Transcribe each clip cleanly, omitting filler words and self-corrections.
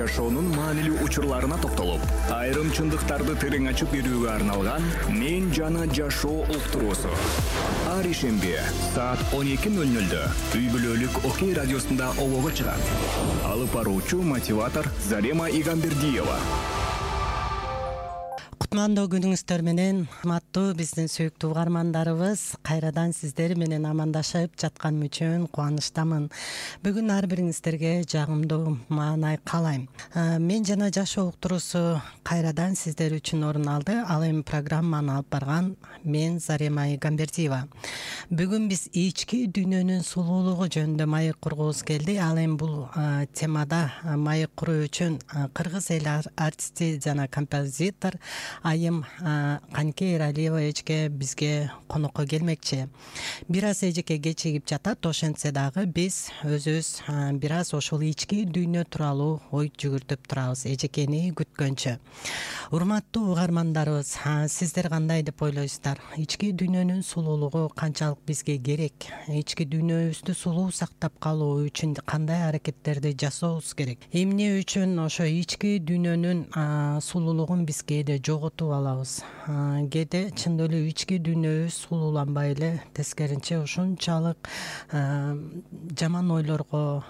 жашоонун маанилүү учурларына токтолуп, айрым чындыктарды терең ачып берүүгө арналган «Мен жана жашоо» уктуруусу. Ар ишемби саат 12:00 үй бүлөлүк Окей радиосунда олого чыгат. Алып баруучу мотиватор Зарема Игамбердиева. Кутмандуу күнүңүздөр менен, урматтуу биздин сүйүктүү угармандарыбыз, кайрадан сиздер менен амандашып жатканым үчүн кубанычтамын. Бүгүн ар бириңиздерге жагымдуу маанай каалайм. Мен жана жашоо уктуруусу кайрадан сиздер үчүн орун алды. Ал эми программаны алып барган мен Зарема Игамбердиева. Бүгүн биз ички дүйнөнүн сулуулугу жөнүндө маек кургубуз келди. Ал эми бул темада маек куруу үчүн кыргыз эл артисти жана композитор Айым Канке Эралиева эжеке бизге конокко келмекчи. Бир аз эжеке кечигип жатат, ошентсе дагы биз өзүбүз бир аз ошол ички дүйнө тууралуу ой жүгүртүп турабыз эжекени күткөнчө. Урматтуу угармандарыбыз, сиздер кандай деп ойлойсуздар? Ички дүйнөнүн сулуулугу канчалык бизге керек? Ички дүйнөбүздү сулуу сактап калуу үчүн кандай аракеттерди жасообуз керек? Эмне үчүн ошо ички дүйнөнүн сулуулугун биз кээде жоготуп алабыз? Кээде чындап эле ички дүйнөбүз сулууланбай эле, тескеринче ушунчалык жаман ойлорго,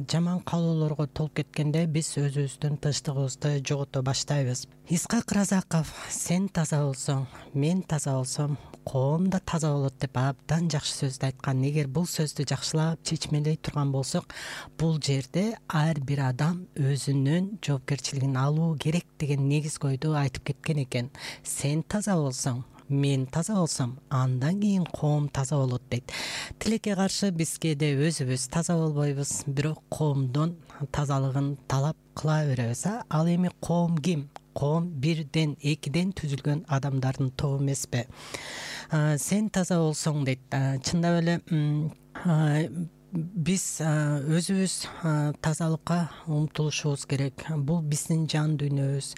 жаман каалоолорго толуп кеткенде биз өзүбүздүн тынчтыгыбызды жогото баштайбыз. Исхак Разаков сен таза болсоң, мен таза болсом, коом да таза болот деп абдан жакшы сөздү айткан. Эгер бул сөздү жакшылап чечмелей турган болсок, бул жерде ар бир адам өзүнүн жоопкерчилигин алуу керек деген негиз койду айтып кеткен экен. Сен таза болсоң, мен таза болсом, андан кийин коом таза болот дейт. Тилекке каршы биз кээде өзүбүз таза болбойбуз, бирок коомдун тазалыгын талап кыла беребиз. Ал эми коом ким? Коом бирден, экиден түзүлгөн адамдардын тобу эмеспи? Сен таза болсоң дейт. Чындап эле биз өзүбүз тазалыкка умтулушубуз керек. Бул биздин жан дүйнөбүз.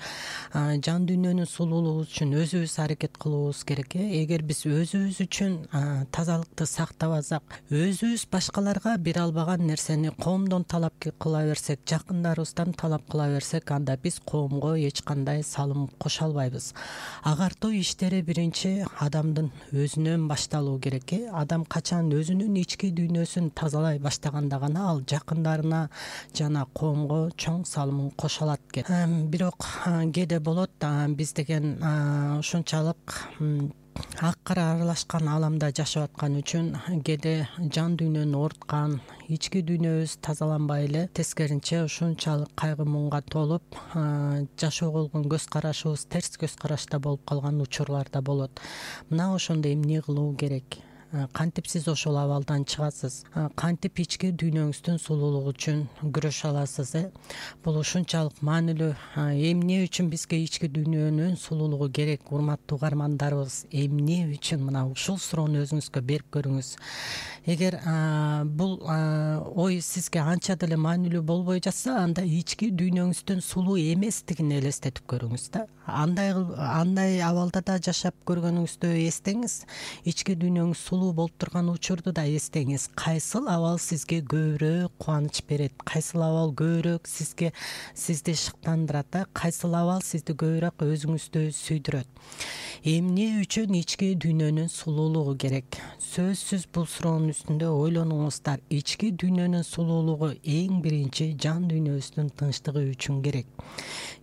Жан дүйнөнүн сулуулугу үчүн өзүбүз аракет кылуубуз керек. Эгер биз өзүбүз үчүн тазалыкты сактабасак, өзүбүз башкаларга бере албаган нерсени коомдон талап кыла берсек, жакындарыбыздан талап кыла берсек, анда биз коомго эч кандай салым кошо албайбыз. Агартуу иштери биринчи адамдын өзүнөн башталуу керек. Адам качан өзүнүн ички дүйнөсүн тазалай баштаганда гана ал жакындарына жана коомго чоң салымын кошо алат экен. Бирок кээде болот биз деген ушунчалык ак кара аралашкан ааламда жашап аткан үчүн кээде жан дүйнөнү ооруткан, ички дүйнөбүз тазаланбай эле, тескеринче ушунчалык кайгы муңга толуп, жашоого болгон көз карашыбыз терс көз карашта болуп калган учурлар да болот. Мына ошондо эмне кылуу керек? Кантип сиз ошол абалдан чыгасыз? Кантип ички дүйнөңүздүн сулуулугу үчүн күрөшө аласыз? Бул ушунчалык маанилүү. Эмне үчүн бизге ички дүйнөнүн сулуулугу керек, урматтуу угармандарыбыз? Эмне үчүн? Мына ушул суроону өзүңүзгө берип көрүңүз. Эгер бул ой сизге анча деле маанилүү болбой жатса, анда ички дүйнөңүздүн сулуу эместигин элестетип көрүңүз да. Андай абалда да жашап көргөнүңүздү эстеңиз. Ички дүйнөңүз сулуу болуп турган учурду да эстеңиз. Кайсыл абал сизге көбүрөөк кубаныч берет? Кайсыл абал көбүрөөк сизди шыктандырат? Кайсыл абал сизди көбүрөөк өзүңүздү сүйдүрөт? Эмне үчүн ички дүйнөнүн сулуулугу керек? Сөзсүз бул суроонун үстүндө ойлонуңуздар. Ички дүйнөнүн сулуулугу эң биринчи жан дүйнөбүздүн тынчтыгы үчүн керек.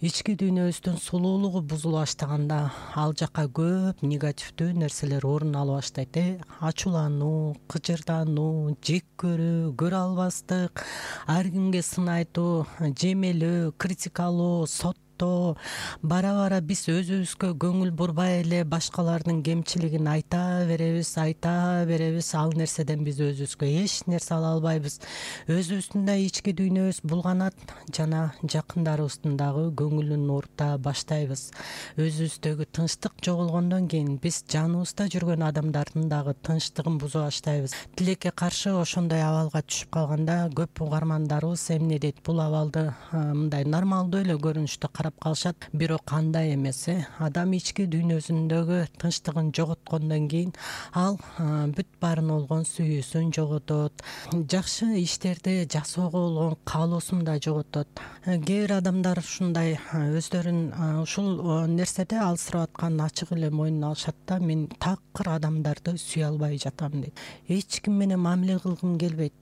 Ички дүйнөбүздүн сулуулугу бузула баштаганда ал жака көп негативдүү нерселер орун ала баштайт. Ачуулануу, кыжырдануу, жек көрүү, көрө албастык, ар кимге сын айтуу, жемелөө, критикалоо, бара биз өзүбүзгө көңүл бурбай эле башкалардын кемчилигин айта беребиз. Ал нерседен биз өзүбүзгө эч нерсе ала албайбыз. Өзүбүздүн да ички дүйнөбүз булганат жана жакындарыбыздын дагы көңүлүн оорута баштайбыз. Өзүбүздөгү тынчтык жоголгондон кийин биз жаныбызда жүргөн адамдардын дагы тынчтыгын буза баштайбыз. Тилекке каршы ошондой абалга түшүп калганда көп угармандарыбыз эмне дейт? Бул абалды мындай нормалдуу эле көрүнүштө карап сактап калышат. Бирок кандай эмес, адам ички дүйнөсүндөгү тынчтыгын жоготкондон кийин ал бүт баарын болгон сүйүүсүн жоготот, жакшы иштерди жасоого болгон каалоосун да жоготот. Кээ бир адамдар ушундай өздөрүн ушул нерседе алсырап атканын ачык эле мойнуна алышат да, мен такыр адамдарды сүйө албай жатам дейт. Эч ким менен мамиле кылгым келбейт.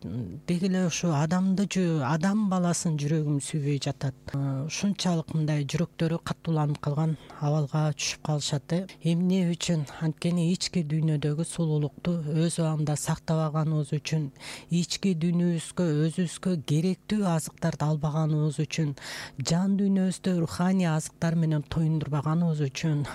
Деги эле ушу адам баласын жүрөгүм сүйбөй жатат. Ушунчалык мындай жүрөктөрү катууланып калган абалга түшүп калышат. Эмне үчүн? Анткени ички дүйнөдөгү сулуулукту өз абагында сактабаганыбыз үчүн, ички дүйнөбүзгө өзүбүзгө керектүү азыктарды албаганыбыз үчүн, жан дүйнөбүздө руханий азыктар менен тоюндурбаганыбыз үчүн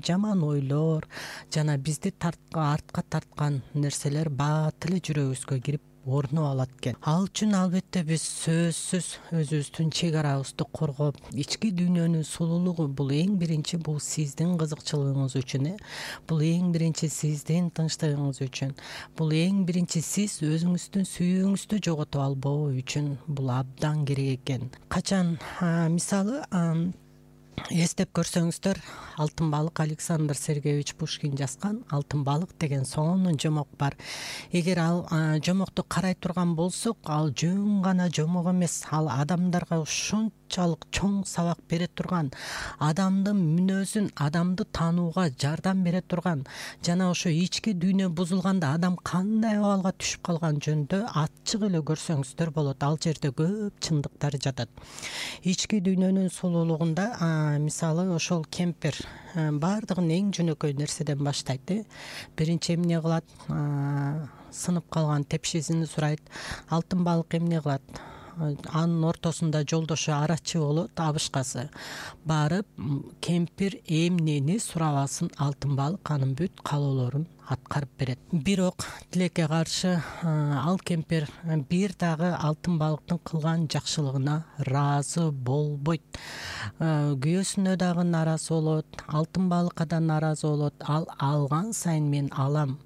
жаман ойлор жана бизди артка тарткан нерселер бат эле жүрөгүбүзгө кирип орнуп алат экен. Ал үчүн албетте биз сөзсүз өзүбүздүн чек арабызды коргоп, ички дүйнөнүн сулуулугу бул эң биринчи бул сиздин кызыкчылыгыңыз үчүн, бул эң биринчи сиздин тынчтыгыңыз үчүн, бул эң биринчи сиз өзүңүздүн сүйүүңүздү жоготуп албоо үчүн бул абдан керек экен. Качан мисалы эстеп көрсөңүздөр, Алтын балык Александр Сергеевич Пушкин жазган Алтын балык деген сонун жомок бар. Эгер ал жомокту карай турган болсок, ал жөн гана жомок эмес, ал адамдарга ушунчалык чоң сабак бере турган, адамдын мүнөзүн, адамды таанууга жардам бере турган, жана ошо ички дүйнө бузулганда адам кандай абалга түшүп калган жөнүндө ачык эле көрсөңүздөр болот. Ал жерде көп чындыктар жатат. Ички дүйнөнүн сулуулугунда мисалы ошол кемпир баардыгын эң жөнөкөй нерседен баштайт. Биринчи эмне кылат? Сынып калган тепшесин сурайт. Алтын балык эмне кылат? Анын ортосунда жолдошу арачы болот, абышкасы. Барып кемпир эмнени сурабасын, алтын балык анын бүт каалоолорун аткарып берет. Бирок тилекке каршы ал кемпир бир дагы алтын балыктын кылган жакшылыгына ыраазы болбойт. Күйөөсүнө дагы нааразы болот, алтын балыкка да нааразы болот. Ал алган сайын мен алам,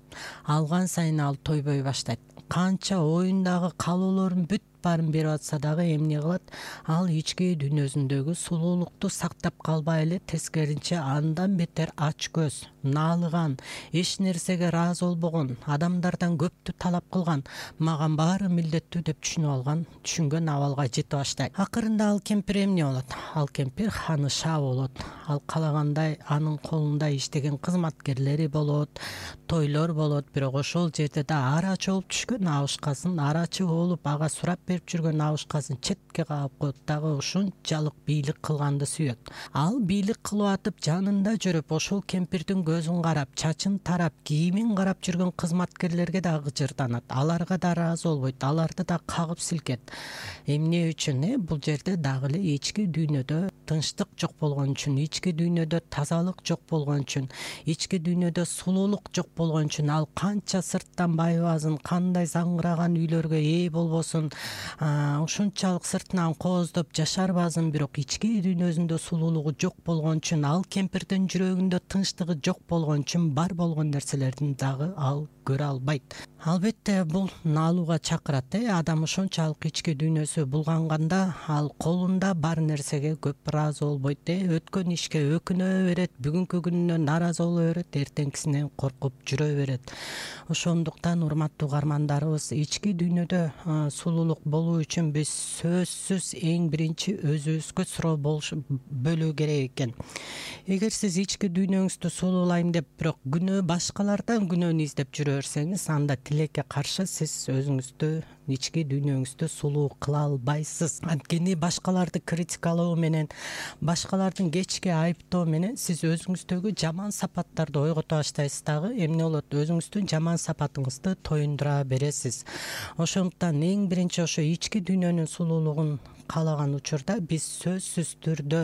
алган сайын ал тойбой баштайт. Канча оюндагы каалоолорун бүт баарын берип атса дагы эмне кылат? Ал ички дүйнөсүндөгү сулуулукту сактап калбай эле, тескерисинче андан бетер ач көз, наалыган, эч нерсеге ыраазы болбогон, адамдардан көптү талап кылган, маган баары милдеттүү деп түшүнгөн абалга жете баштайт. Акырында ал кемпир эмне болот? Ал кемпир ханыша болот. Ал калагандай анын колунда иштеген кызматкерлери болот, тойлор болот, бирок ошол жерде да арачы болуп түшкөн абышкасын, арачы болуп ага сурап берип жүргөн абышкасын четке каап коет, дагы ушунчалык бийлик кылганды сүйөт. Ал бийлик кылып атып жанында жүрүп, ошол кемпирдин көзүн карап, чачын тарап, кийимин карап жүргөн кызматкерлерге да ыжырданат. Аларга да ыраазы болбойт, аларды да кагып силкет. Эмне үчүн? Бул жерде дагы эле ички дүйнөдө тынчтык жок болгон үчүн, ички дүйнөдө тазалык жок болгон үчүн, ички дүйнөдө сулуулук жок болгон үчүн ал канча сырттан байыбасын, кандай заңгыраган үйлөргө ээ болбосун, ушунчалык сыртынан кооздоп жашарбасын, бирок ички дүйнөсүндө сулуулугу жок болгон үчүн, ал кемпирдин жүрөгүндө тынчтыгы жок болгон үчүн бар болгон нерселердин дагы ал көрө албайт. Албетте бул наалууга чакырат. Адам ошончалык ички дүйнөсү булганганда ал колунда бар нерсеге көп ыраазы болбойт. Өткөн ишке өкүнө берет, бүгүнкү күнүнө нааразы боло берет, эртеңкисинен коркуп жүрө берет. Ошондуктан урматтуу угармандарыбыз, ички дүйнөдө сулуулук болуу үчүн биз сөзсүз эң биринчи өзүбүзгө суроо бөлүү керек экен. Эгер сиз ички дүйнөңүздү сулуулайм деп, бирок башкалардан күнөөнү издеп жүрө берсеңиз, анда тилекке каршы сиз өзүңүздү, ички дүйнөңүздү сулуу кыла албайсыз. Анткени башкаларды критикалоо менен, башкалардын кечки айыптоо менен сиз өзүңүздөгү жаман сапаттарды ойгото баштайсыз дагы. Эмне болот? Өзүңүздүн жаман сапатыңызды тоюндура бересиз. Ошондуктан эң биринчи ошо ички дүйнөнүн сулуулугун каалаган учурда биз сөзсүз түрдө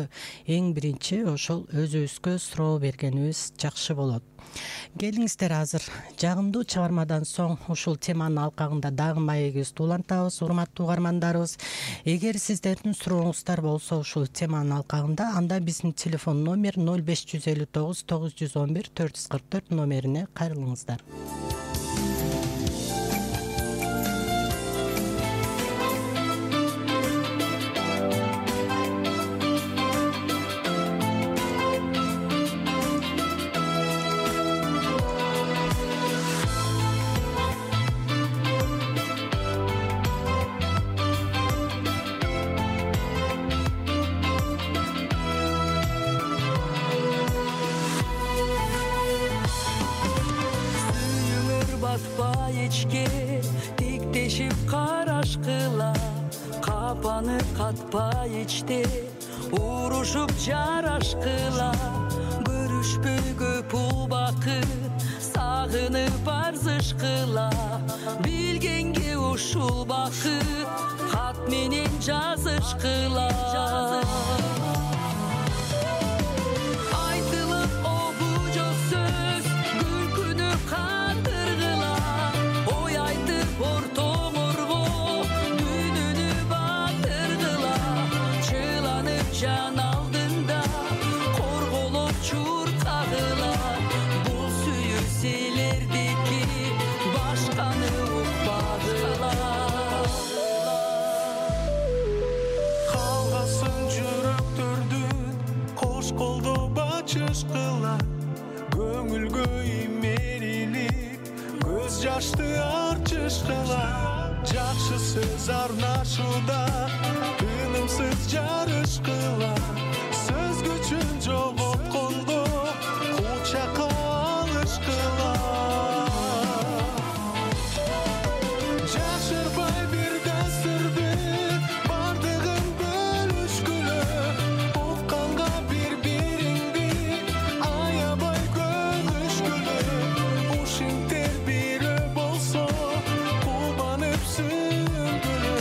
эң биринчи ошол өзүбүзгө суроо бергенибиз жакшы болот. Келиңиздер, азыр жагымдуу чыгармадан соң ушул теманын алкагында дагы маегибизди улантабыз, урматтуу угармандарыбыз. Эгер сиздердин сурооңуздар болсо ушул теманын алкагында, анда биздин телефон номер 0559 911 444 номерине кайрылыңыздар. арпаны катпай ичти урушуп жарашкыла көрүшпөй көп убакыт сагынып арзышкыла билгенге ушул бакыт кат менен жазышкыла айтылып обу жок сөз күлкүнүп кандыргыла ой айтып ортоңорго дүйнөнү батыргыла чыланып жан алдында корголоп чуркагыла бул сүйүү силердики башканы укпагыла калгасың жүрөктөрдүн кош колдоп ачышкыла көңүлгө имериlik көз жашты арчышкыла жакшы сөз арнашууда тынымсыз жарышкыла сөз күчүн жоготкондо кучакка алышкыла жашырбай бир дасырды бардыгын бөлүшкүлө укканга бири-бириңди аябай көнүшкүлө ушинтер бирөө болсо кубанып сүйүнгүлө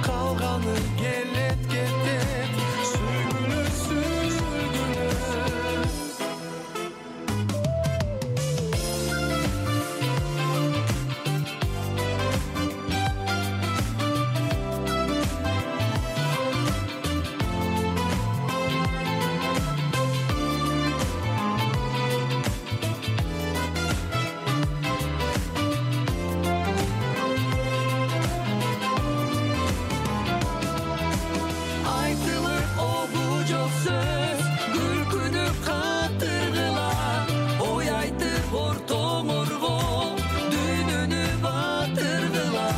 калганы келет кетет сүйгүлө сүйүлгүлө айтылып обу жок сөз күлкүнүп кандыргыла ой айтып ортоңорго дүйнөнү батыргыла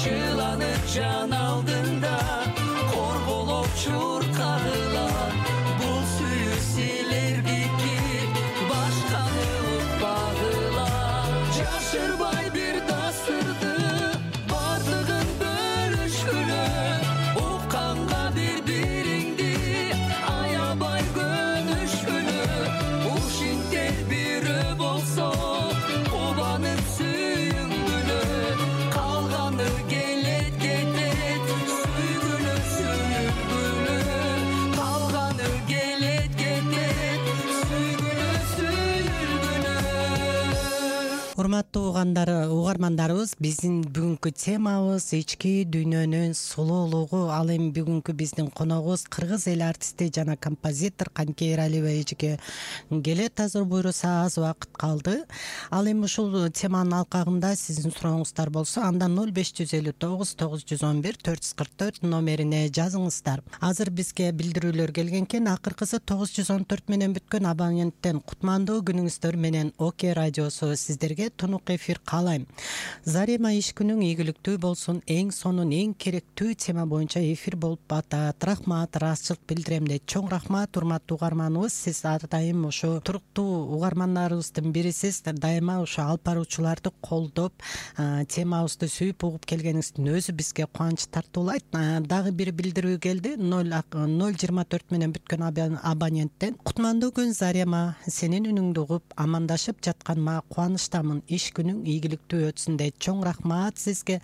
чыланып жан алдында корголоп чуркагыла бул сүйүү силердики башканы укпагыла жашырбай бир дасырды бардыгын бөлүшкүлө укканга бири-бириңди аябай көнүшкүлө ушинтер бирөө болсо кубанып сүйүнгүлө калганы келет кетет сүйгүлө сүйүлгүлө калганы келет кетет сүйгүлө сүйүлгүлө урматтуу угармандарыбыз биздин бүгүнкү темабыз ички дүйнөнүн сулуулугу. Ал эми бүгүнкү биздин коногубуз кыргыз эл артисти жана композитор Канке Эралиева эжеге келет. Азыр буйруса аз убакыт калды. Ал эми ушул теманын алкагында сиздин сурооңуздар болсо андан 0559 911 444 номерине жазыңыздар. Азыр бизге билдирүүлөр келген экен. Акыркысы 914 менен бүткөн абоненттен кутмандуу күнүңүздөр менен Оке радиосу сиздерге тунук эфир каалайм. Зарема иш күнүң ийгиликтүү болсун, эң сонун эң керектүү тема боюнча эфир болуп атат. Рахмат, ыраазычылык билдирем дейт. Чоң рахмат урматтуу угарманыбыз. Сиз ар дайым ушу туруктуу угармандарыбыздын бирисиз. Дайыма ушу алып баруучуларды колдоп, темабызды сүйүп угуп келгениңиздин өзү бизге кубанч тартуулайт. Дагы бир билдирүү келди. 024 менен бүткөн абоненттен. Кутмандуу күн Зарема, сенин үнүңдү угуп амандашып жатканыма кубанычтамын. Иш күнүң ийгиликтүү өтсүн дейт. Чоң рахмат сизге.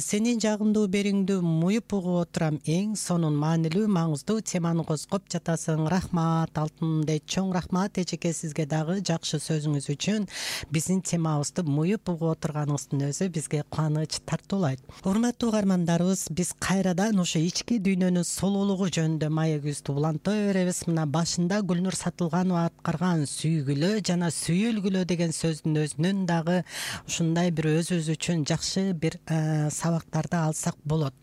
Сенин жагымдуу бериңдү муюп угуп отурам. Эң сонун маанилүү маңыздуу теманы козгоп жатасың. Рахмат алтыным дейт. Чоң рахмат эжеке сизге дагы жакшы сөзүңүз үчүн. Биздин темабызды муюп угуп отурганыңыздын өзү бизге кубаныч тартуулайт. Урматтуу угармандарыбыз, биз кайрадан ушу ички дүйнөнүн сулуулугу жөнүндө маегибизди улантай беребиз. Мына башында Гүлнур Сатылганова аткарган сүйгүлө жана сүйүлгүлө деген сөздүн өзүнүн дагы ушундай бир өзүбүз үчүн жакшы бир сабактарды алсак болот.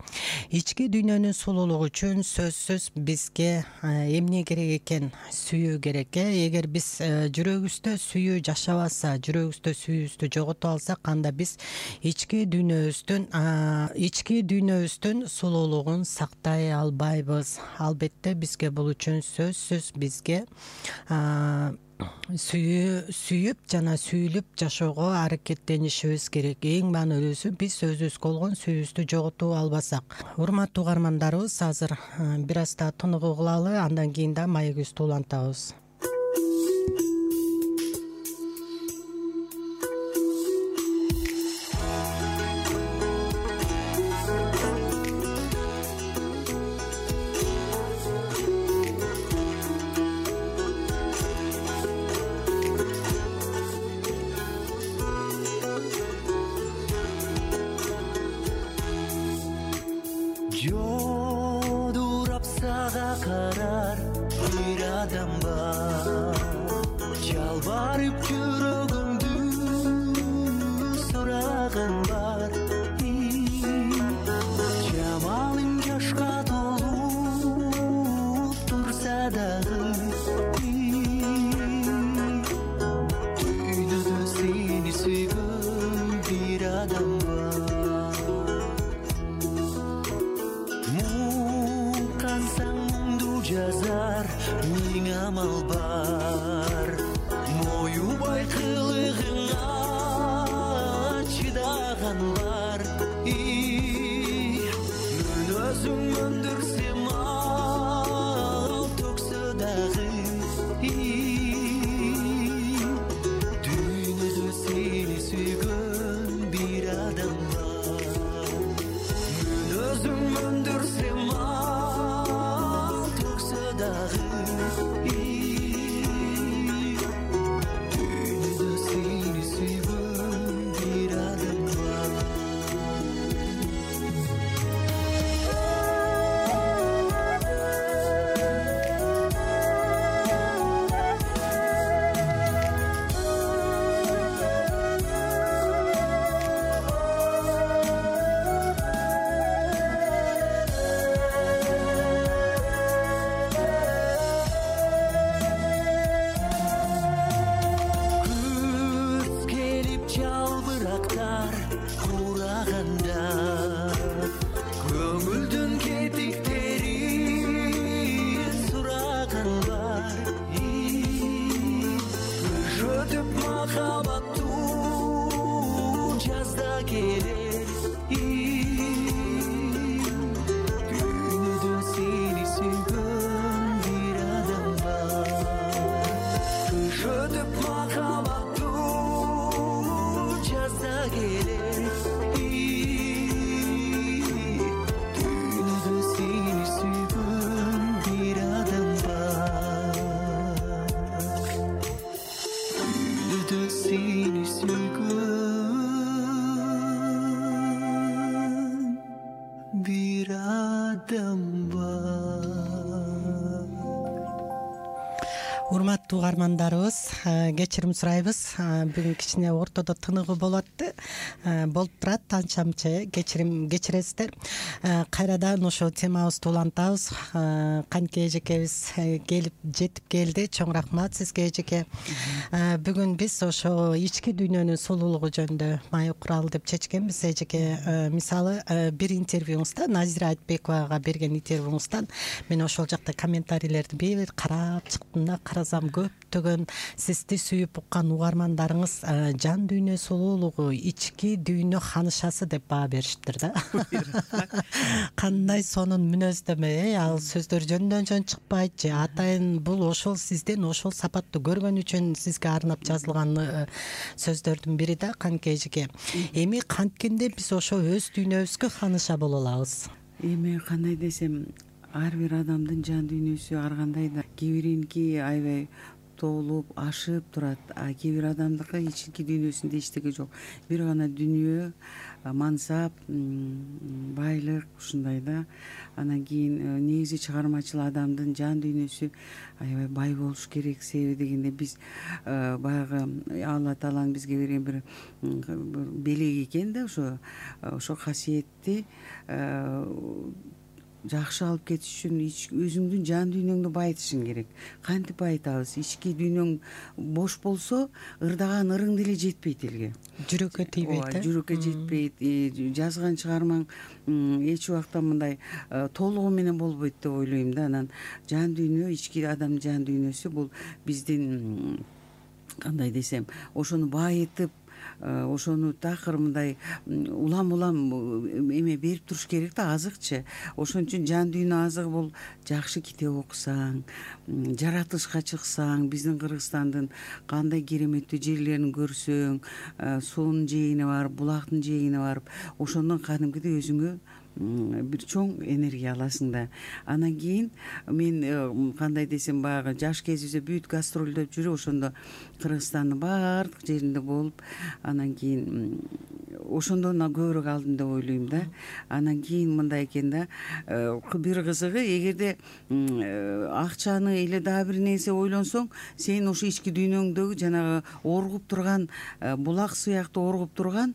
Ички дүйнөнүн сулуулугу үчүн сөзсүз бизге эмне керек экен? Сүйүү керек. Эгер биз жүрөгүбүздө сүйүү жашабаса, жүрөгүбүздө сүйүүбүздү жоготуп алсак, анда биз ички дүйнөбүздүн сулуулугун сактай албайбыз. Албетте бизге бул үчүн сөзсүз бизге сүйүп жана сүйүлүп жашоого аракеттенишибиз керек. Эң маанилүүсү биз өзүбүзгө болгон сүйүүбүздү жоготуп албасак. Урматтуу угармандарыбыз, азыр бир аз да тыныгуу кылалы, андан кийин да маегибизди улантабыз. Жодурап сага карар бир адам бар, жалбарып жүрөгүмдү сураган бар. Жамалың жашка толуп турса дагы, дүйнөдө сени сүйгөн бир адам бар. Жазар миң амал бар, моюбай кылыгыңа чыдаган бар. Мен өзүң өндүрсем ал төксө дагы, дүйнөдө сени сүйгөн бир адам бар. Мен өзүң өндүрсем дүйнөдө сени сүйгөн бир адам бар. Көңүлдүн кетиктерин сураган бар. Өтүп махабаттуу жазда келер. Дүйнөдө сени сүйгөн бир адам бар. Өтүп махабаттуу жазда келер. Seni sүйгөн бир адам бар. Урматтуу угармандарыбыз, кечирим сурайбыз. Бүгүн кичине ортодо тыныгуу болуп турат, анча мынча кечиресиздер. Кайрадан ошо темабызды улантабыз. Канке эжекебиз жетип келди. Чоң рахмат сизге, эжеке. Бүгүн биз ошо ички дүйнөнүн сулуулугу жөнүндө маек куралы деп чечкенбиз, эжеке. Мисалы, бир интервьюңузда, Назира Айтбековага берген интервьюңуздан мен ошол жакта комментарийлерди бир карап чыктым да, карасам көптөгөн сизди сүйүп уккан угармандарыңыз жан дүйнө сулуулугу, ички дүйнө ханышасы деп баа беришиптир да. Кандай сонун мүнөздөмө, ал сөздөр жөндөн жөн чыкпайт же атайын бул ошол сизден ошол сапаттуу көргөн үчүн сизге арнап жазылган сөздөрдүн бири да, Канке эжеке. Эми канткенде биз ошо өз дүйнөбүзгө ханыша боло алабыз. Эми кандай десем, ар бир адамдын жан дүйнөсү ар кандай да. Кээ бириники аябай толуп ашып турат, а кээ бир адамдыкы ички дүйнөсүндө эчтеке жок. Бир гана дүнүйө, мансап, байлык ушундай да. Анан кийин негизи чыгармачыл адамдын жан дүйнөсү аябай бай болуш керек. Себеби дегенде биз баягы Алла Тааланын бизге берген бир белек экен да, ошо касиетти жакшы алып кетиш үчүн өзүңдүн жан дүйнөңдү байытышың керек. Кантип байытабыз? Ички дүйнөң бош болсо, ырдаган ырың деле жетпейт элге. Жүрөккө тийбейт. Жүрөккө жетпейт. Жазган чыгармаң эч убакта мындай толугу менен болбойт деп ойлойм да. Анан жан дүйнө, ички адамдын жан дүйнөсү бул биздин кандай десем, ошону байытып, ошону такыр мындай улам эме берип туруш керек да, азыкчы. Ошон үчүн жан дүйнө азыгы бул жакшы китеп окусаң, жаратылышка чыксаң, биздин Кыргызстандын кандай кереметтүү жерлерин көрсөң, суунун жээгине барып, булактын жээгине барып, ошондон кадимкидей өзүңө бир чоң энергия аласың да. Анан кийин мен кандай десем, баягы жаш кезибизде бүт гастролдоп жүрүп, ошондо Кыргызстандын баардык жеринде болуп, анан кийин ошондон көбүрөөк алдым деп ойлойм да. Анан кийин мындай экен да, бир кызыгы, эгерде акчаны эле дагы бир нерсе ойлонсоң, сен ошо ички дүйнөңдөгү жанагы оргуп турган, булак сыяктуу оргуп турган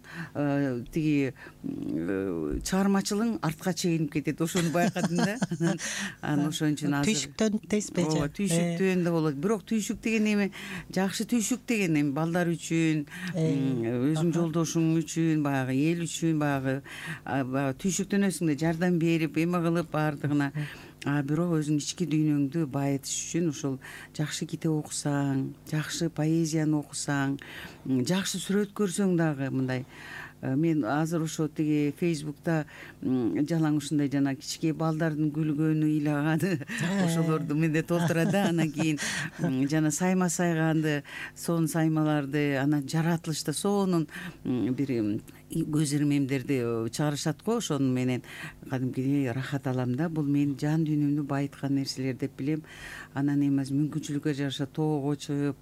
тиги чыгармачылык артка чегинип кетет. Ошону байкадым да. Анан ошон үчүн азыр түйшүктөн дейсизби? Ооба, түйшүктөн да болот. Бирок түйшүк деген эме, жакшы түйшүк деген эми балдар үчүн, өзүң жолдошуң үчүн, баягы эл үчүн, баягы түйшүктөнөсүң да, жардам берип, эме кылып баардыгына. Бирок өзүң ички дүйнөңдү байытыш үчүн ошол жакшы китеп окусаң, жакшы поэзияны окусаң, жакшы сүрөт көрсөң дагы мындай. Мен азыр ошо тиги Facebook'та жалаң ушундай жана кичке балдардын күлгөнү, ыйлаганы ошолорду менде толтура да. Анан кийин жана сайма сайганды, сонун саймаларды, анан жаратылышта сонун бир көз ирмемдерди чыгарышат го, ошону менен кадимкидей рахат алам да. Бул менин жан дүйнөмдү байыткан нерселер деп билем. Анан эмес, мүмкүнчүлүккө жараша тоого чыгып,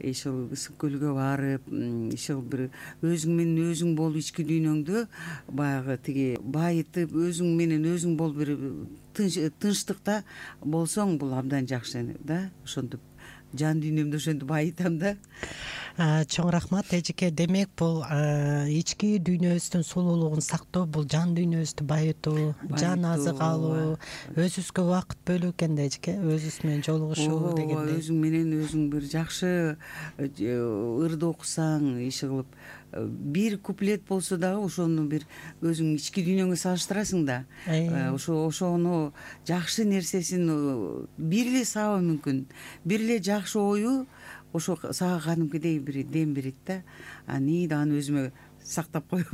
ишыл ысык көлгө барып, ишыл бир өзүң менен өзүң болуп, ички дүйнөңдү баягы тиги байытып, өзүң менен өзүң болуп, бир тынчтыкта болсоң, бул абдан жакшы да. Ошентип жан дүйнөмдү ошентип байытам да. Чоң рахмат эжеке. Демек бул ички дүйнөбүздүн сулуулугун сактоо, бул жан дүйнөбүздү байытуу, жан азык алуу, өзүбүзгө убакыт бөлүү экен да эжеке, өзүбүз менен жолугушуу дегендей. Өзүң менен өзүң бир жакшы ырды окусаң, иши кылып, бир куплет болсо дагы ошону бир өзүң ички дүйнөңө салыштырасың да. Ошону жакшы нерсесин бир эле сабы мүмкүн, бир эле жакшы ою ошо сага кадимкидей бир дем берет да. Аны өзүмө сактап коем.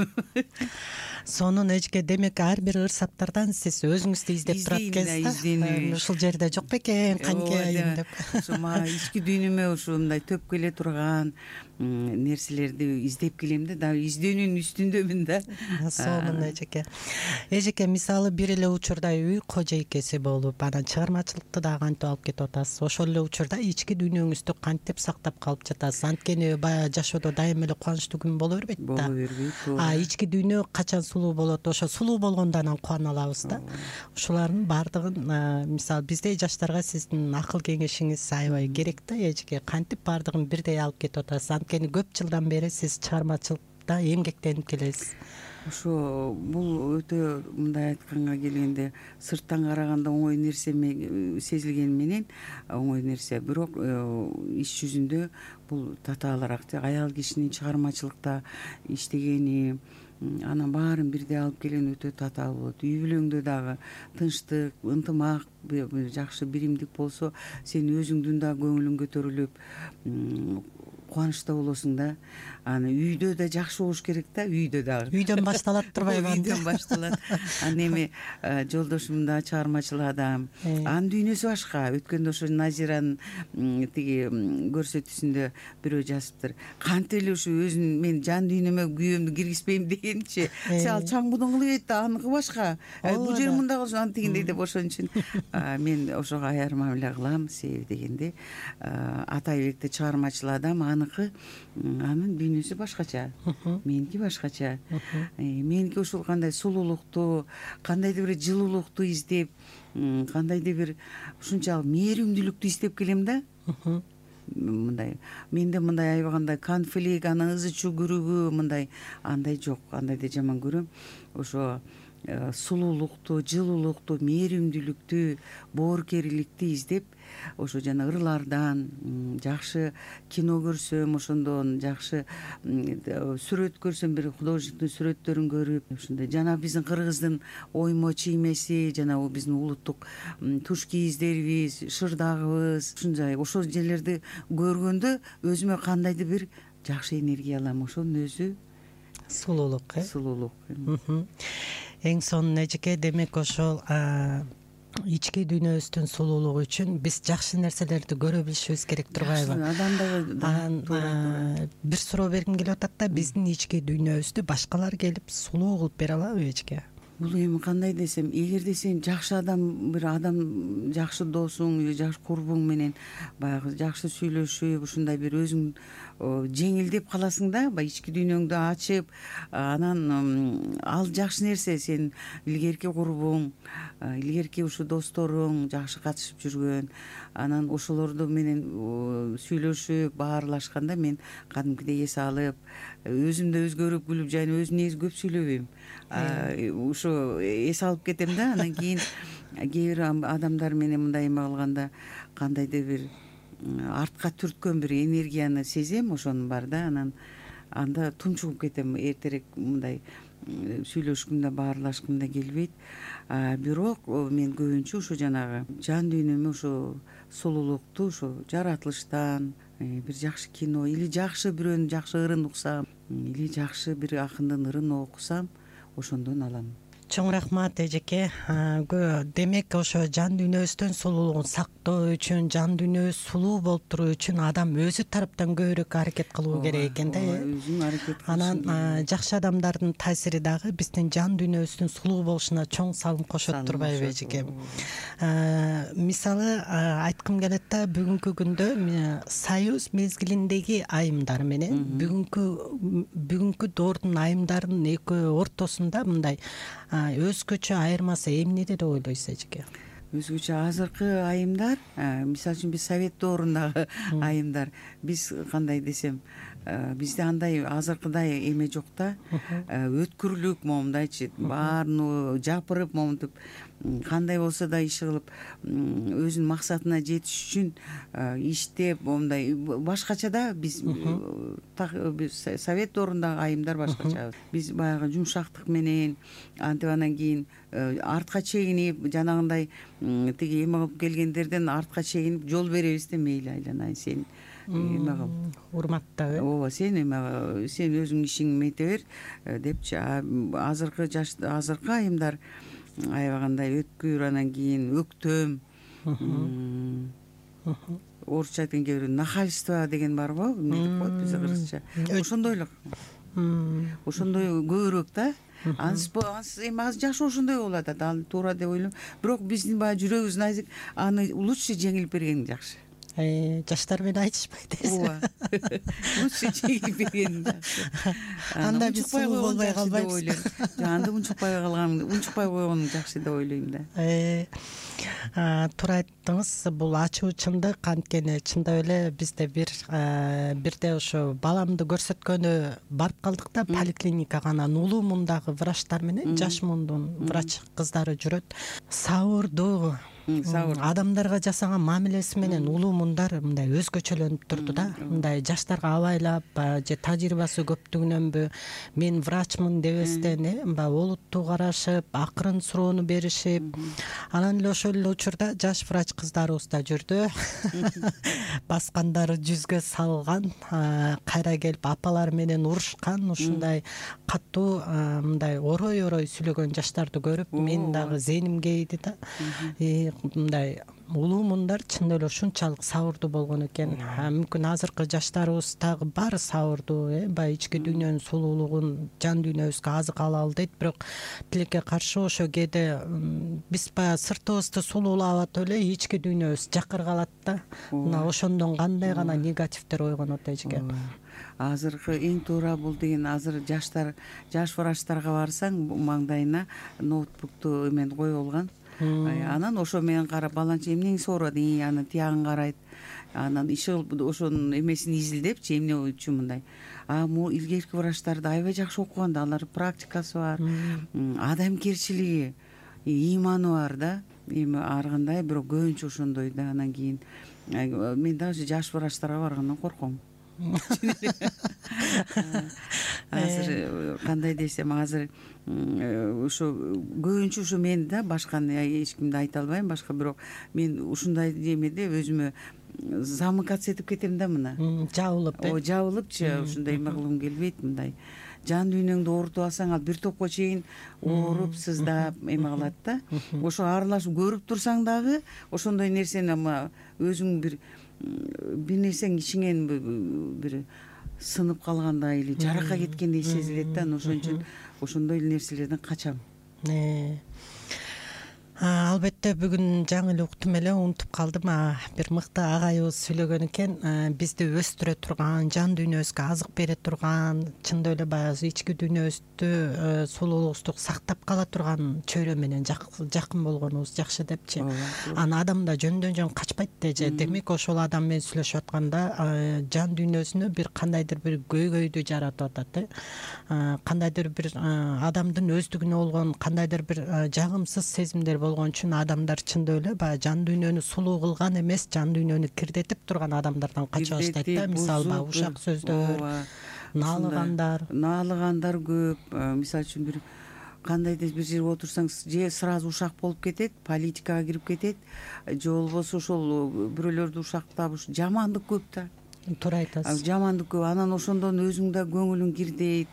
Сонун эжеке. Демек ар бир ыр-саптардан сиз өзүңүздү издеп турат экенсиз. Ушул жерде жок бекен, канче айым деп. Ошо мага ички дүйнөмө ушундай төп келе турган нерселерди издеп келем да, дагы издөөнүн үстүндөмүн да. Сонун эжеке. Эжеке, мисалы бир эле учурда үй кожойкеси болуп, анан чыгармачылыкты дагы кантип алып кетип атасыз. Ошол эле учурда ички дүйнөңүздү кантип сактап калып жатасыз? Анткени баягы жашоодо дайыма эле кубанычтуу күн боло бербейт да. Боло бербейт. Ички дүйнө качан сулуу болот, ошо сулуу болгондо анан кубана алабыз да. Ушулардын баардыгын мисалы биздей жаштарга сиздин акыл кеңешиңиз аябай керек да эжеке. Кантип баардыгын бирдей алып кетип атасыз? Анткени көп жылдан бери сиз чыгармачылыкта эмгектенип келесиз. Ошо бул өтө, мындай айтканга келгенде, сырттан караганда оңой нерсе сезилгени менен оңой нерсе, бирок иш жүзүндө бул татаалыраак. Аял кишинин чыгармачылыкта иштегени, анан баарын бирдей алып келген өтө татаал болот. Үй бүлөңдө дагы тынчтык, ынтымак, жакшы биримдик болсо, сен өзүңдүн да көңүлүң көтөрүлүп, кубанычта болосуң да. Аны үйдө да жакшы болуш керек да, үйдө дагы. Үйдөн башталат турбайбы? Үйдөн башталат. Анан эми жолдошум да чыгармачыл адам. Анын дүйнөсү башка. Өткөндө ошо Назиранын тиги көрсөтүүсүндө бирөө жазыптыр. Кантип эле ушу өзүн мен жан дүйнөмө күйөөмдү киргизбейм дегенчи. Сен ал чаңбудун кылып да, аныкы башка. Бул жери мындай болсун, антигиндей деп, ошон үчүн мен ошого аяр мамиле кылам. Себеби дегенде Атайбекте чыгармачыл адам, аныкы, анын дүйнөсү башкача, меники башкача. Меники ушул кандай сулуулукту, кандайдыр бир жылуулукту издеп, кандайдыр бир ушунчалык мээримдүүлүктү издеп келем да. Мындай менде мындай аябагандай конфликт, анан ызы чуу күрүгү, мындай андай жок. Андайды жаман көрөм. Ошо сулуулукту, жылуулукту, мээримдүүлүктү, боорукерликти издеп ошо жана ырлардан жакшы кино көрсөм, ошондон жакшы сүрөт көрсөм, бир художественный сүрөттөрүн көрүп, ушундай жана биздин кыргыздын оймо чиймеси, жана биздин улуттук туш кийиздерибиз, шырдагыбыз, ошол жерлерди көргөндө өзүмө кандайдыр бир жакшы энергия алам. Ошонун өзү сулуулук. Сулуулук. Эң сонун эжеке, демек ошол ички дүйнөбүздүн сулуулугу үчүн биз жакшы нерселерди көрө билишибиз керек, турбайбы? Адамдагы бир суроо бергим келип атат да, биздин ички дүйнөбүздү башкалар келип сулуу кылып бере алабы эжеке? Бул эми кандай десем, эгерде сен жакшы адам, бир адам жакшы досуң, жакшы курбуң менен баягы жакшы сүйлөшүп, ушундай бир өзүң жеңилдеп каласың да, баягы ички дүйнөңдү ачып, анан ал жакшы нерсе. Сен илгерки курбуң, илгерки ушу досторуң жакшы катышып жүргөн, анан ошолорду менен сүйлөшүп баарлашканда мен кадимкидей эс алып, өзүмдө өзгөрүп күлүп, жана өзүм негизи көп сүйлөбөйм, ушу эс алып кетем да. Анан кийин кээ бир адамдар менен мындай эме кылганда кандайдыр бир артка түрткөн бир энергияны сезем, ошонун бар да. Анан анда тунчугуп кетем, эртерээк мындай сүйлөшкүм да, баарлашкым да келбейт. Бирок мен көбүнчө ушу жанагы жан дүйнөмө ушу сулуулукту ушу жаратылыштан, бир жакшы кино или жакшы бирөөнүн жакшы ырын уксам, или жакшы бир акындын ырын окусам, ошондон алам. Чоң рахмат эжеке. Демек ошо жан дүйнөбүздүн сулуулугун сактоо үчүн, жан дүйнөбүз сулуу болуп туруу үчүн адам өзү тараптан көбүрөөк аракет кылуу керек экен да. Өзүң аракет кылыш. Анан жакшы адамдардын таасири дагы биздин жан дүйнөбүздүн сулуу болушуна чоң салым кошот, турбайбы эжеке? Мисалы айткым келет да, бүгүнкү күндө союз мезгилиндеги айымдар менен бүгүнкү доордун айымдарынын экөө ортосунда мындай өзгөчө айырмасы эмнеде деп ойлойсуз эжеке? Өзгөчө азыркы айымдар, мисалы үчүн биз совет доорундагы айымдар, биз кандай десем, бизде андай азыркыдай эме жок да, өткүрлүк момундайчы, баарын жапырып момунтип кандай болсо да иш кылып, өзүнүн максатына жетиш үчүн иштеп, момундай башкача да. Биз совет доорундагы айымдар башкачабыз. Биз баягы жумшактык менен, антип анан кийин артка чегинип, жанагындай тиги эме кылып келгендерден артка чегинип жол беребиз да, мейли айланайын, сен эме кыл, урматтап, ооба, сен эме, сен өзүң ишиңди мете бер депчи. Азыркы айымдар аябагандай өткүр, анан кийин өктөм, орусча айтканда кээ бирөө нахальство деген бар го, эмне деп коет бизде кыргызча, ошондой эле, ошондой көбүрөөк да. Ансы эми азыр жакшы ошондой болуп атат, ал туура деп ойлойм. Бирок биздин баягы жүрөгүбүз назик, аны лучше жеңилип берген жакшы. Жаштар менен айтышпайт дейсиз. Ооба. Лучше жеңилип берген жакшы. Анда биз сулуу болбой калбайбыз. Анда унчукпай койгон жакшы деп ойлойм да. Туура айттыңыз, бул ачуу чындык. Анткени чындап эле бизде бирде ошо баламды көрсөткөнү барып калдык да, поликлиникага. Анан улуу мундагы врачтар менен жаш мундун врач кыздары жүрөт. Сабырдуу, адамдарга жасаган мамилеси менен улуу мундар мындай өзгөчөлөнүп турду да. Мындай жаштарга абайлап, же тажрыйбасы көптүгүнөнбү, мен врачмын дебестен олуттуу карашып, акырын суроону беришип, анан эле ошол эле учурда жаш врач кыздарыбыз да жүрдү. Баскандары жүзгө салган, кайра келип апалар менен урушкан, ушундай катуу мындай орой сүйлөгөн жаштарды көрүп, мен дагы зээним кейди да. Мындай улуу мундар чын эле ушунчалык сабырдуу болгон экен. Мүмкүн азыркы жаштарыбыз дагы баары сабырдуу, баягы ички дүйнөнүн сулуулугун жан дүйнөбүзгө азык алалы дейт. Бирок тилекке каршы ошо кээде биз баягы сыртыбызды сулуулап атып эле ички дүйнөбүз жакыр калат да. Мына ошондон кандай гана негативдер ойгонот эжеке. Азыркы эң туура бул деген, азыр жаш врачтарга барсаң, маңдайына ноутбукту эмен коюп алган. Анан ошо менен карап баланча эмнеңи соорудуң, анан тиягын карайт, анан иши ошонун эмесин изилдепчи эмне үчүн мындай. Могу илгерки врачтарды аябай жакшы окуган да, алар практикасы бар, адамгерчилиги, ыйманы бар да. Эми ар кандай бирок көбүнчө ошондой да. Анан кийин мен даже жаш врачтарга баргандан корком. Азыр кандай десем, азыр ошо көбүнчө ушу мен да, башканы эч кимди айта албайм, башка, бирок мен ушундай немеде өзүмө замыкаться этип кетем да, мына жабылыпчы, ушундай эме кылгым келбейт. Мындай жан дүйнөңдү оорутуп алсаң, ал бир топко чейин ооруп, сыздап эме кылат да. Ошо аралашып көрүп турсаң дагы ошондой нерсени өзүң бир нерсең ичиңен бир сынып калгандай эле жарака кеткендей сезилет да. Ошон үчүн ошондой эле нерселерден качам. Албетте бүгүн жаңы эле уктум эле, унутуп калдым. Бир мыкты агайыбыз сүйлөгөн экен, бизди өстүрө турган, жан дүйнөбүзгө азык бере турган, чындап эле баягы ички дүйнөбүздү, сулуулугубузду сактап кала турган чөйрө менен жакын болгонубуз жакшы депчи. Анан адам да жөндөн жөн качпайт деже. Демек ошол адам менен сүйлөшүп атканда жан дүйнөсүнө бир кандайдыр бир көйгөйдү жаратып атат. Кандайдыр бир адамдын өздүгүнө болгон кандайдыр бир жагымсыз сезимдер болгон үчүн адамдар чындап эле баягы жан дүйнөнү сулуу кылган эмес, жан дүйнөнү кирдетип турган адамдардан кача баштайт да. Мисалы ушак сөздөр, наалыгандар көп. Мисалы үчүн бир кандайдыр бир жерге отурсаң, же сразу ушак болуп кетет, политикага кирип кетет, же болбосо ошол бирөөлөрдү ушактап жамандык көп да. Туура айтасыз. Жамандык көп. Анан ошондон өзүң да көңүлүң кирдейт,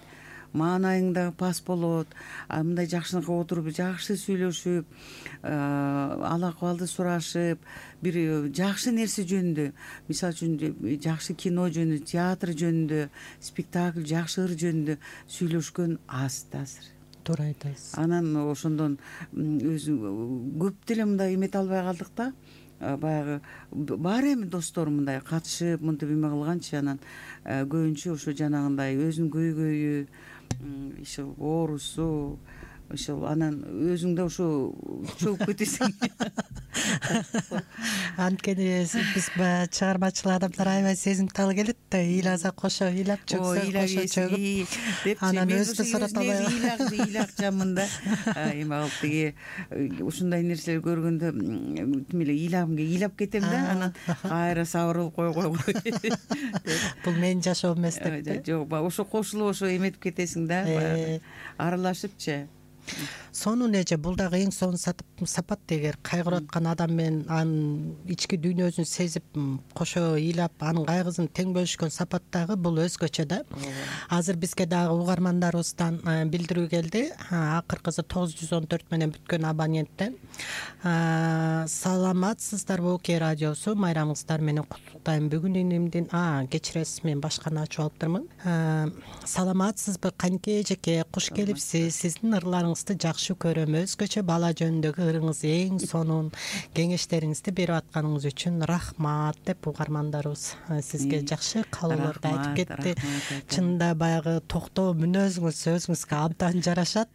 маанайың да пас болот. Мындай жакшынакай отуруп жакшы сүйлөшүп, ал акыбалды сурашып, бир жакшы нерсе жөнүндө, мисалы үчүн жакшы кино жөнүндө, театр жөнүндө, спектакль, жакшы ыр жөнүндө сүйлөшкөн аз да азыр. Туура айтасыз. Анан ошондон өзү көп деле мындай эмете албай калдык да. Баягы бар эми достор мындай катышып, мынтип эме кылганчы, анан көбүнчө ошо жанагындай өзүнүн көйгөйү, ошо оорусу, ошол анан өзүң да ошо чөгүп кетесиң. Анткени биз баягы чыгармачыл адамдар аябай сезимтал келет да, ыйласа кошо ыйлап, чөгсө кошо чөгүп, анан өзү сурата албай ыйлакчамын да. Эме кылып тиги ушундай нерселер көргөндө тим эле ыйлап кетем да, анан кайра сабыр кылып кой. Бул менин жашоом эмес деп. Жок, ошо кошулуп ошо эметип кетесиң да, аралашыпчы. Сонун эже, бул дагы эң сонун сапат. Эгер кайгырып аткан адам менен анын ички дүйнөсүн сезип, кошо ыйлап, анын кайгысын тең бөлүшкөн сапат дагы бул өзгөчө да. Азыр бизге дагы угармандарыбыздан билдирүү келди. Акыркысы 914 менен бүткөн абоненттен. Саламатсыздарбы Оке радиосу, майрамыңыздар менен куттуктайм. Бүгүн инимдин кечиресиз, мен башканы ачып алыптырмын. Саламатсызбы канке эжеке, куш келипсиз. Сиздин ырларыңызды жакшы көрөм. Өзгөчө бала жөнүндөгү ырыңыз эң сонун. Кеңештериңизди берип атканыңыз үчүн рахмат деп угармандарыбыз сизге жакшы каалоолорду айтып кетти. Чынында баягы токтоо мүнөзүңүз өзүңүзгө абдан жарашат.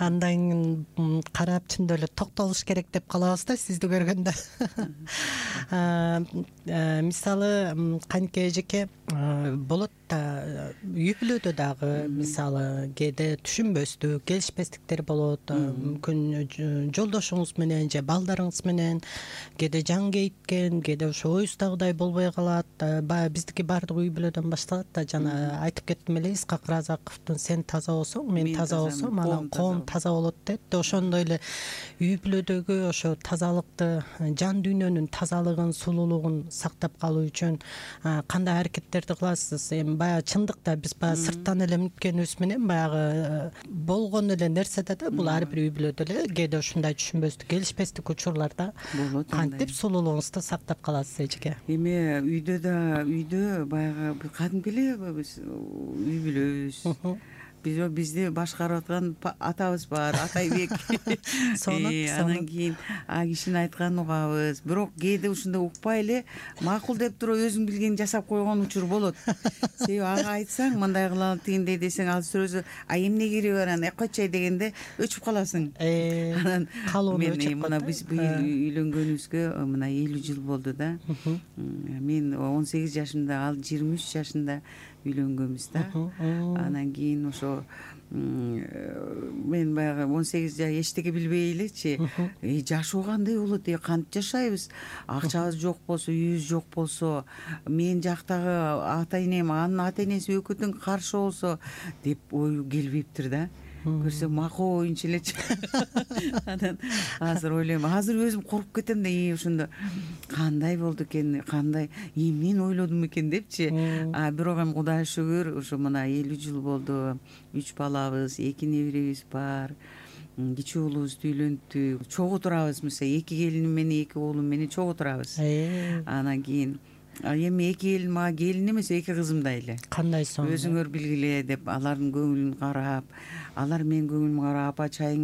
Андан карап чындап эле токтолуш керек деп калабыз да сизди көргөндө. Мисалы канке эжеке, болот да үй бүлөдө дагы мисалы кээде түшүнбөстүк, келишпестиктер болот. Мүмкүн жолдошуңуз менен же балдарыңыз менен кээде жан кейиткен, кээде ошо оюздагыдай болбой калат. Баягы биздики баардык үй бүлөдөн башталат да. Жана айтып кеттим эле, Исхак Разаковдун сен таза болсоң, мен таза болсом, анан коом таза болот дейт. Ошондой эле үй бүлөдөгү ошо тазалыкты, жан дүйнөнүн тазалыгын, сулуулугун сактап калуу үчүн кандай аракеттерди кыласыз? Эми баягы чындыкта биз баягы сырттан эле мүнүткөнүбүз менен баягы болгон эле нерседе да бул ар бир үй бүлөдө эле кээде ушундай түшүнбөстүк, келишпестик учурларда кантип сулуулугуңузду сактап каласыз эжеке? Эми үйдө баягы кадимки эле биз үй бүлөбүз. бизди башкарып аткан атабыз бар, Атайбек. Анан кийин а кишинин айтканын угабыз, бирок кээде ушундай укпай эле макул деп туруп өзүң билгенин жасап койгон учур болот. Себеби ага айтсаң мындай кылалы тигиндей десең ал сөзү эмне кереги бар анан койчуй дегенде өчүп каласың. Анан мен мына биз быйыл үйлөнгөнүбүзгө мына 50 жыл болду да. Мен 18 жашымда, ал 23 жашында үйлөнгөнбүз да. Анан кийин ошо мен баягы 18 жаш эчтеке билбей элечи, жашоо кандай болот, кантип жашайбыз, акчабыз жок болсо, үйүбүз жок болсо, мен жактагы ата энем, анын ата энеси экөө тең каршы болсо деп ой келбептир да. Көрсөм макул оюнчу элечи. Анан азыр ойлойм, азыр өзүм коркуп кетем да, ошондо кандай болду экен, кандай эмнени ойлодум экен депчи. Бирок эми Кудайга шүгүр, ошо мына 50 жыл болду, 3 балабыз, 2 неберебиз бар. Кичүү уулубузду үйлөнттүк, чогуу турабыз, мисалы 2 келиним менен 2 уулум менен чогуу турабыз. Анан кийин эми 2 келин мага келин эмес, 2 кызымдай эле. Кандай соң? Өзүңөр билгиле деп алардын көңүлүн карап, алар менин көңүлүмө карап, апа чай